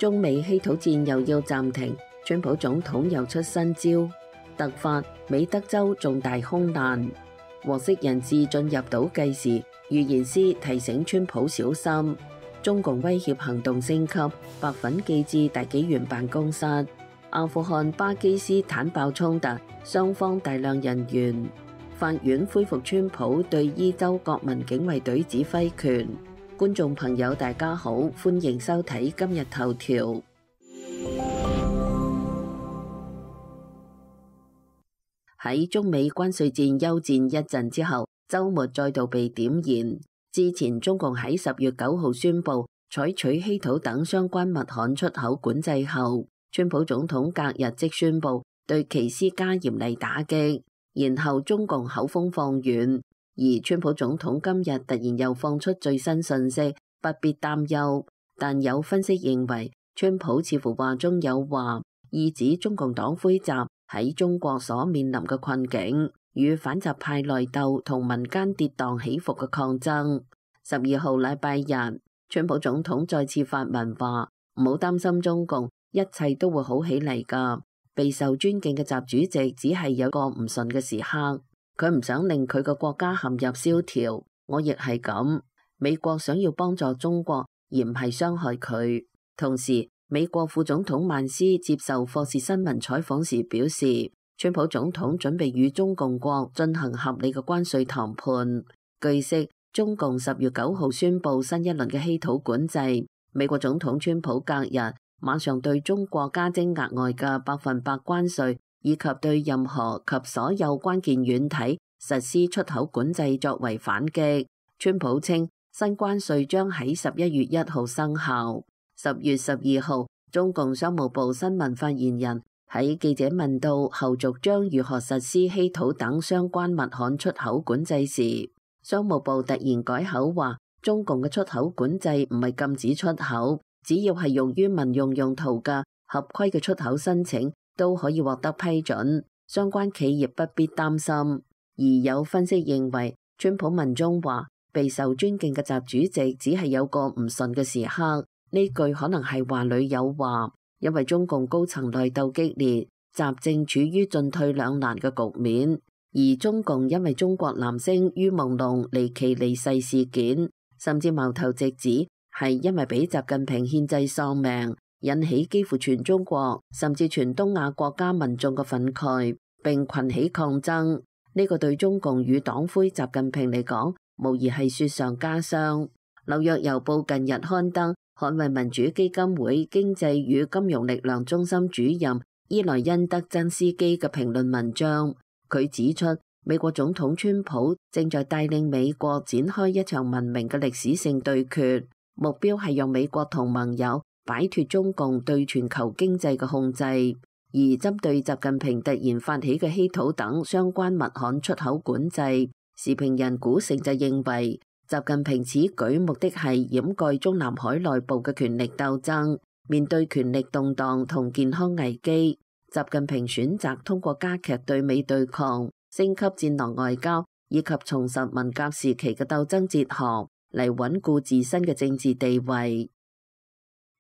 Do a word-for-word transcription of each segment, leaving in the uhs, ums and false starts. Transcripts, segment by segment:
中美稀土戰又要暫停，川普總統又出新招，突發美德州重大空難。獲釋人質進入島計時，預言師提醒川普小心。中共威脅行動升級，白粉寄至大紀元辦公室。阿富汗巴基斯坦爆衝突，雙方大量人員。法院恢復川普對伊州國民警衛隊指揮權。觀眾朋友大家好，歡迎收睇今日頭條。喺中美關稅戰休戰一陣之後，週末再度被點燃。之前中共喺十月九號宣布採取稀土等相關物罕出口管制後，川普總統隔日即宣布對其施加嚴厲打擊，然後中共口風放軟，而川普總統今日突然又放出最新信息，不必擔憂。但有分析認為，川普似乎話中有話，意指中共黨魁習喺中國所面臨嘅困境，與反習派內鬥同民間跌宕起伏嘅抗爭。十二號禮拜日，川普總統再次發文話：唔好擔心中共，一切都會好起嚟㗎。備受尊敬嘅習主席只係有個唔順嘅時刻，佢唔想令佢個國家陷入蕭條。我亦係咁。美國想要幫助中國，而唔係傷害佢。同時，美國副總統曼斯接受霍士新聞採訪時表示，川普總統準備與中共國進行合理嘅關稅談判。據悉，中共十月九號宣布新一輪嘅稀土管制，美國總統川普隔日馬上對中國加徵額外嘅百分百關稅，以及對任何及所有關鍵軟體實施出口管制作為反擊。川普稱新關稅將喺十一月一號生效。十月十二號，中共商務部新聞發言人喺記者問到後續將如何實施稀土等相關物罕出口管制時，商務部突然改口話，中共嘅出口管制唔係禁止出口，只要係用於民用用途嘅合規嘅出口申請都可以獲得批准，相關企業不必擔心。而有分析認為，川普文中話備受尊敬嘅習主席只係有個唔順嘅時刻，呢句可能係話裏有話，因為中共高層內鬥激烈，習正處於進退兩難嘅局面。而中共因為中國男星于朦朧離奇離世事件，甚至矛頭直指係因為俾習近平獻祭喪命，引起幾乎全中國甚至全東亞國家民眾嘅憤慨，並群起抗爭。呢個對中共與黨魁習近平嚟講，無疑係雪上加霜。紐約郵報近日刊登捍衛民主基金會經濟與金融力量中心主任伊萊恩德珍斯基嘅評論文章，佢指出美國總統川普正在帶領美國展開一場文明嘅歷史性對決，目標係讓美國同盟友擺脫中共對全球經濟嘅控制。而針對習近平突然發起嘅稀土等相關物罕出口管制，時評人古城就認為習近平此舉目的係掩蓋中南海內部嘅權力鬥爭。面對權力動盪同健康危機，習近平選擇通過加劇對美對抗、升級戰狼外交以及重拾文革時期嘅鬥爭哲學嚟穩固自身嘅政治地位。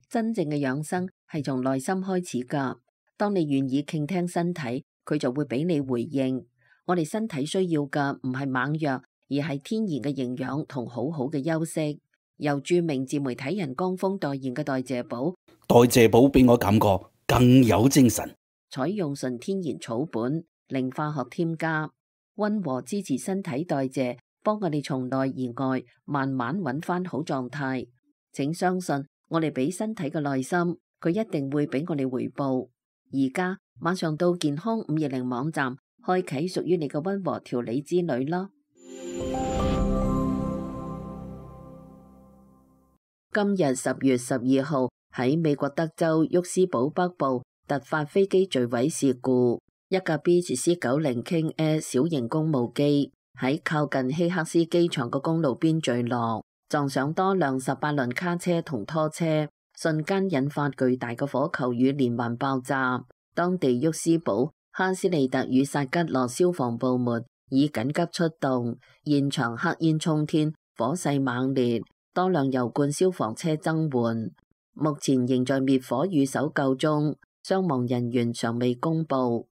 真正嘅養生係從內心開始㗎。當你願意傾聽身體，佢就會俾你回應。我哋身體需要嘅唔係猛藥，而係天然嘅營養同好好嘅休息。由著名自媒體人江峰代言嘅代謝寶，代謝寶俾我感覺更有精神。採用純天然草本，零化學添加，溫和支持身體代謝，幫我哋從內而外慢慢揾翻好狀態。請相信我哋俾身體嘅耐心，佢一定會俾我哋回報。而家馬上到健康五二零網站，開啟屬於你嘅溫和調理之旅啦！今日十月十二號喺美國德州沃斯堡北部突發飛機墜毀事故，一架 Beech C 九十 King Air 小型公務機喺靠近希克斯機場嘅公路邊墜落，撞上多輛十八輪卡車同拖車，瞬間引發巨大嘅火球與連環爆炸。當地沃斯堡、哈斯利特與薩吉洛消防部門已緊急出動，現場黑煙衝天，火勢猛烈，多輛油罐消防車增援。目前仍在滅火與搜救中，傷亡人員尚未公布。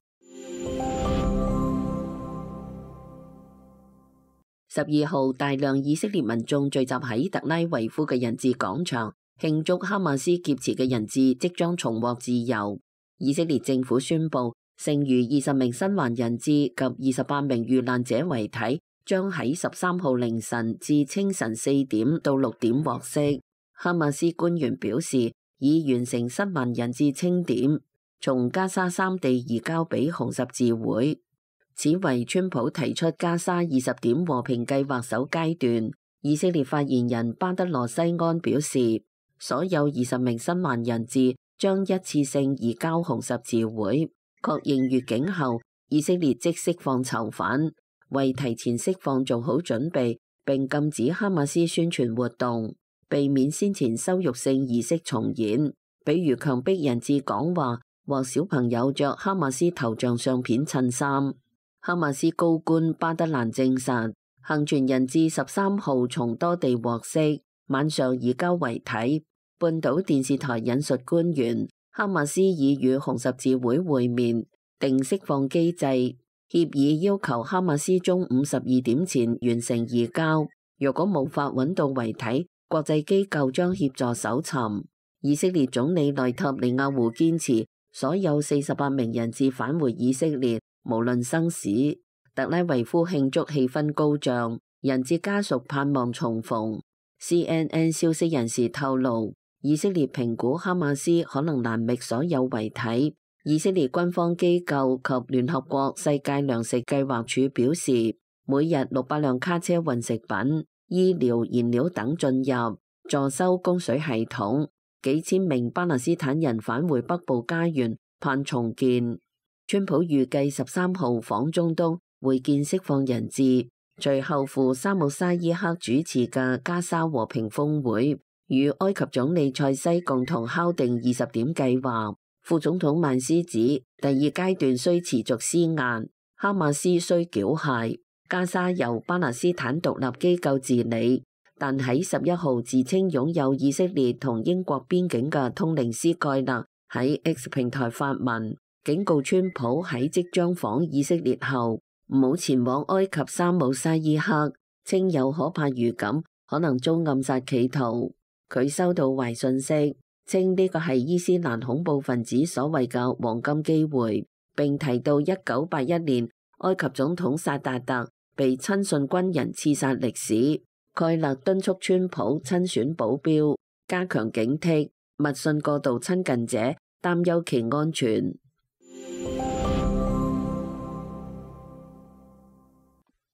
十二號，大量以色列民眾聚集喺特拉維夫嘅人質廣場，慶祝哈馬斯劫持嘅人質即將重獲自由。以色列政府宣布，剩餘二十名生還人質及二十八名遇難者遺體將喺十三號凌晨至清晨四點到六點獲釋。哈馬斯官員表示，已完成生還人質清點，從加沙三地移交俾紅十字會。此為川普提出加沙二十點和平計劃首階段。以色列發言人巴德羅西安表示，所有二十名生還人質將一次性移交紅十字會。確認越境後，以色列即釋放囚犯，為提前釋放做好準備，並禁止哈馬斯宣傳活動，避免先前羞辱性儀式重演，比如強迫人質講話或小朋友着哈馬斯頭像相片襯衫。哈馬斯高官巴德蘭證實，幸存人質十三號從多地獲釋，晚上移交遺體。半島電視台引述官員，哈馬斯已與紅十字會會面，定釋放機制。協議要求哈馬斯中午十二點前完成移交。若果無法揾到遺體，國際機構將協助搜尋。以色列總理內塔尼亞胡堅持，所有四十八名人質返回以色列，無論生死。特拉維夫慶祝氣氛高漲，人質家屬盼望重逢。C N N 消息人士透露，以色列評估哈馬斯可能難覓所有遺體。以色列軍方機構及聯合國世界糧食計劃署表示，每日六百輛卡車運食品、醫療、燃料等進入，助修供水系統。幾千名巴勒斯坦人返回北部家園，盼重建。川普預計十三號訪中東會見釋放人質，隨後赴沙姆沙伊克主持嘅加沙和平峰會，與埃及總理塞西共同敲定二十點計劃。副總統曼斯指，第二階段需持續施壓，哈馬斯需繳械，加沙由巴勒斯坦獨立機構治理。但喺十一號自稱擁有以色列同英國邊境嘅通靈師蓋勒喺 X 平台發文，警告川普喺即將訪以色列後唔好前往埃及沙姆沙伊克，稱有可怕預感可能遭暗殺企圖。佢收到壞信息，稱呢個係伊斯蘭恐怖分子所謂嘅黃金機會，並提到一九八一年埃及總統薩達特被親信軍人刺殺歷史。蓋勒敦促川普親選保鏢，加強警惕，勿信過度親近者，擔憂其安全。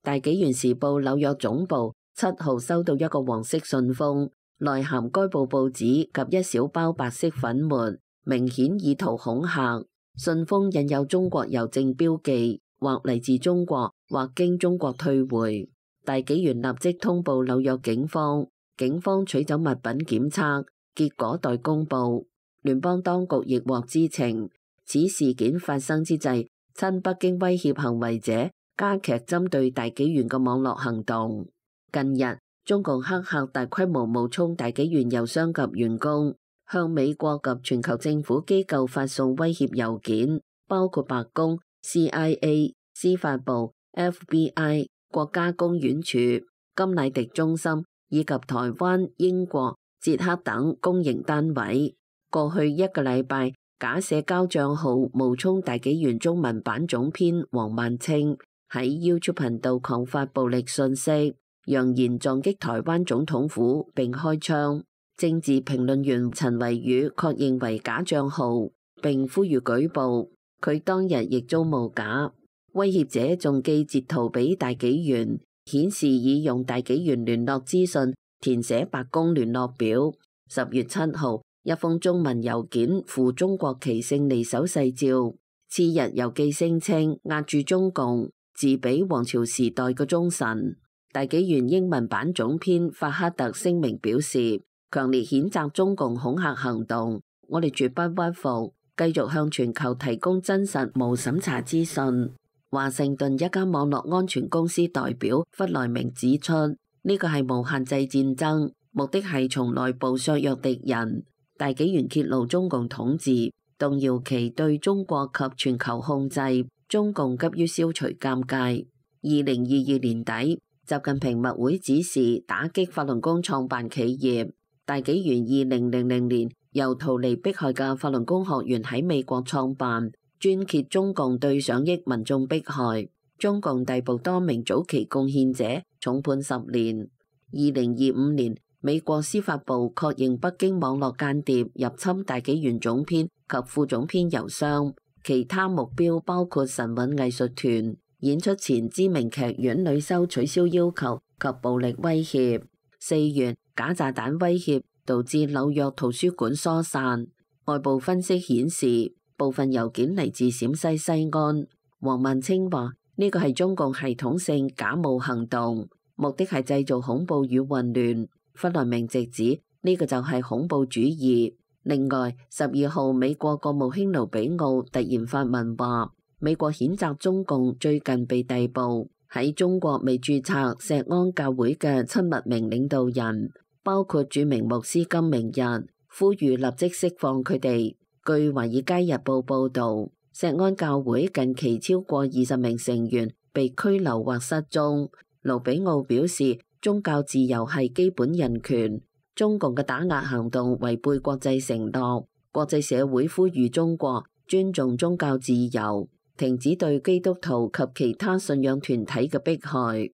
大紀元時報紐約總部七號收到一個黃色信封，內含該報報紙及一小包白色粉末，明顯意圖恐嚇。信封印有中國郵政標記，或嚟自中國，或經中國退回。大紀元立即通報紐約警方，警方取走物品檢測，結果待公佈。聯邦當局亦獲知情。此事件發生之際，親北京威脅行為者加劇針對大紀元嘅網絡行動。近日，中共黑客大規模冒充大紀元郵箱及員工，向美國及全球政府機構發送威脅郵件，包括白宮、C I A、司法部、F B I、國家公園處、甘迺迪中心以及台灣、英國、捷克等公營單位。過去一個禮拜，假社交賬號冒充大紀元中文版總編黃萬清喺 YouTube 頻道狂發暴力訊息，揚言撞擊台灣總統府並開槍。政治評論員陳維宇確認為假賬號，並呼籲舉報。佢當日亦遭冒假。威脅者仲寄截圖俾大紀元，顯示已用大紀元聯絡資訊填寫白宮聯絡表。十月七號，一封中文郵件附中國旗勝利手勢照。次日郵寄聲稱壓住中共，自比皇朝時代嘅忠臣。大紀元英文版總編法克特聲明表示，強烈譴責中共恐嚇行動，我哋絕不屈服，繼續向全球提供真實無審查資訊。華盛頓一家網絡安全公司代表弗萊明指出，呢個係無限制戰爭，目的係從內部削弱敵人。大紀元揭露中共統治，動搖其對中國及全球控制，中共急於消除尷尬。二零二二年底，習近平密會指示打擊法輪功創辦企業。大紀元二零零零年由逃離迫害嘅法輪功學員喺美國創辦，專揭中共對上億民眾迫害。中共逮捕多名早期貢獻者，重判十年。二零二五年，美國司法部確認北京網絡間諜入侵大紀元總編及副總編郵箱，其他目標包括神韻藝術團、演出前知名劇院女修取消要求及暴力威脅。四月，假炸彈威脅導致紐約圖書館疏散。外部分析顯示，部分郵件嚟自陝西西安。王萬清話：呢個係中共系統性假冒行動，目的係製造恐怖與混亂。弗萊明直指呢個就係恐怖主義。另外，十二號美國國務卿盧比奧突然發文話，美國譴責中共最近被逮捕喺中國未註冊錫安教會嘅七十名領導人，包括著名牧師金明日，呼籲立即釋放佢哋。據《華爾街日報》報導，錫安教會近期超過二十名成員被拘留或失蹤。盧比奧表示，宗教自由係基本人權，中共嘅打壓行動違背國際承諾，國際社會呼籲中國尊重宗教自由，停止對基督徒及其他信仰團體嘅迫害。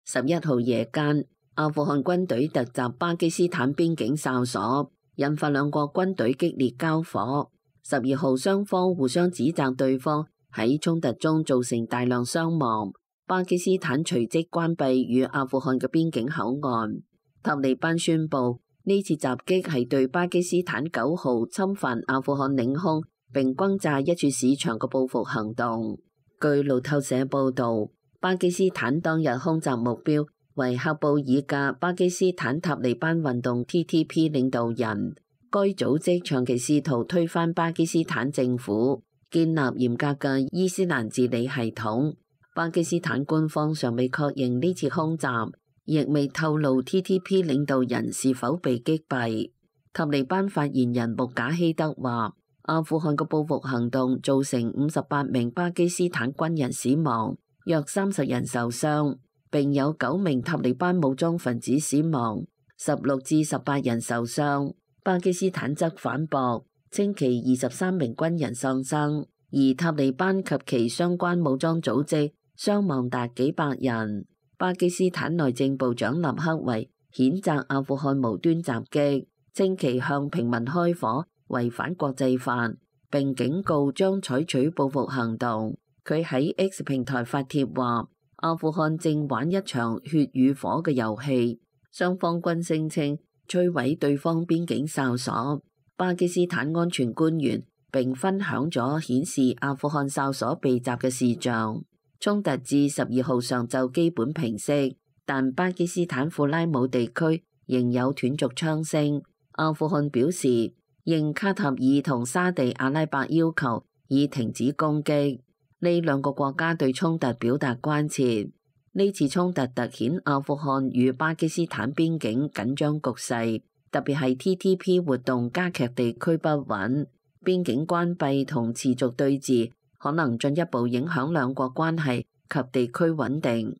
十一號夜間，阿富汗軍隊突襲巴基斯坦邊境哨所，引發兩國軍隊激烈交火。十二號雙方互相指責對方喺衝突中造成大量傷亡。巴基斯坦隨即關閉與阿富汗嘅邊境口岸。塔利班宣布呢次襲擊係對巴基斯坦九號侵犯阿富汗領空並轟炸一處市場嘅報復行動。據路透社報導，巴基斯坦當日空襲目標為喀布爾嘅巴基斯坦塔利班運動 T T P 領導人。該組織長期試圖推翻巴基斯坦政府，建立嚴格嘅伊斯蘭治理系統。巴基斯坦官方尚未確認呢次空襲，亦未透露 T T P 領導人是否被擊斃。塔利班發言人穆賈希德話，阿富汗嘅報復行動造成五十八名巴基斯坦軍人死亡，約三十人受傷，並有九名塔利班武裝分子死亡，十六至十八人受傷。巴基斯坦則反駁，稱其二十三名軍人喪生，而塔利班及其相關武裝組織傷亡達幾百人。巴基斯坦內政部長林克維譴責阿富汗無端襲擊，稱其向平民開火違反國際法，並警告將採取報復行動。佢喺 X 平台發帖話，阿富汗正玩一場血與火嘅遊戲，雙方均聲稱摧毀對方邊境哨所。巴基斯坦安全官員並分享咗顯示阿富汗哨所被襲嘅視像。衝突至十二號上晝基本平息，但巴基斯坦庫拉姆地區仍有斷續槍聲。阿富汗表示，應卡塔爾同沙地阿拉伯要求，已停止攻擊。呢兩個國家對衝突表達關切。呢次衝突突顯阿富汗與巴基斯坦邊境緊張局勢，特別係 T T P 活動加劇地區不穩，邊境關閉同持續對峙可能進一步影響兩國關係及地區穩定。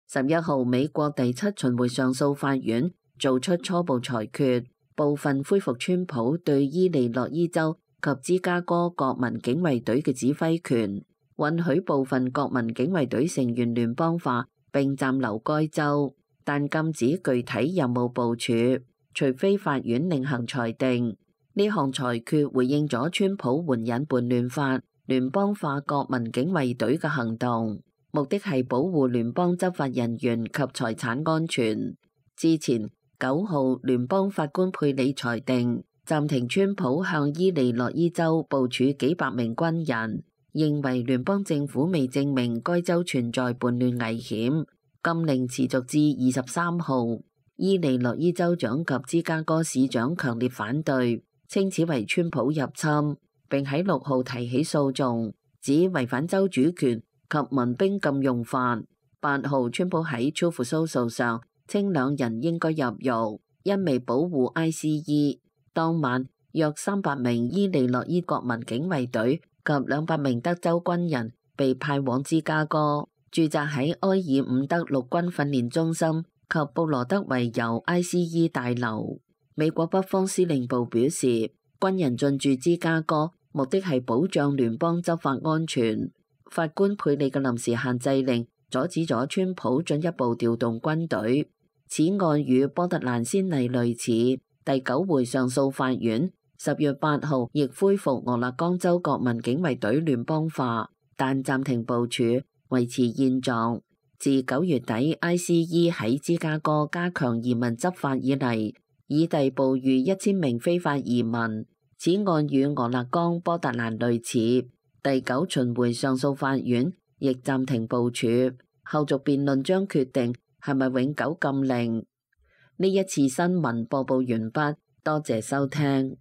十一號，美國第七巡迴上訴法院做出初步裁決，部分恢復川普對伊利諾伊州及芝加哥國民警衛隊嘅指揮權，允許部分國民警衛隊成員聯邦化並暫留該州，但禁止具體任務部署，除非法院另行裁定。呢項裁決回應咗川普援引叛亂法聯邦化國民警衛隊嘅行動，目的係保護聯邦執法人員及財產安全。之前九號聯邦法官佩里裁定暫停川普向伊利諾伊州部署幾百名軍人，認為聯邦政府未證明該州存在叛亂危險。禁令持續至二十三號。伊利諾伊州長及芝加哥市長強烈反對，稱此為川普入侵，並喺六號提起訴訟，指違反州主權及民兵禁用法。八號，川普喺 Truth Social 上稱兩人應該入獄，因為保護 I C E。當晚，約三百名伊利諾伊國民警衛隊及兩百名德州軍人被派往芝加哥，駐紮喺埃爾伍德陸軍訓練中心及布羅德維尤 I C E 大樓。美國北方司令部表示，軍人進駐芝加哥目的係保障聯邦執法安全。法官佩利嘅臨時限制令阻止咗川普進一步調動軍隊。此案與波特蘭先例類似。第九回上訴法院十月八號亦恢復俄勒岡州國民警衛隊聯邦化，但暫停部署，維持現狀。自九月底 I C E 喺芝加哥加強移民執法以嚟，已逮捕逾一千名非法移民。此案與俄勒岡、波特蘭類似。第九巡迴上訴法院亦暫停部署，後續辯論將決定係咪永久禁令。呢一次新聞播報完畢，多謝收聽。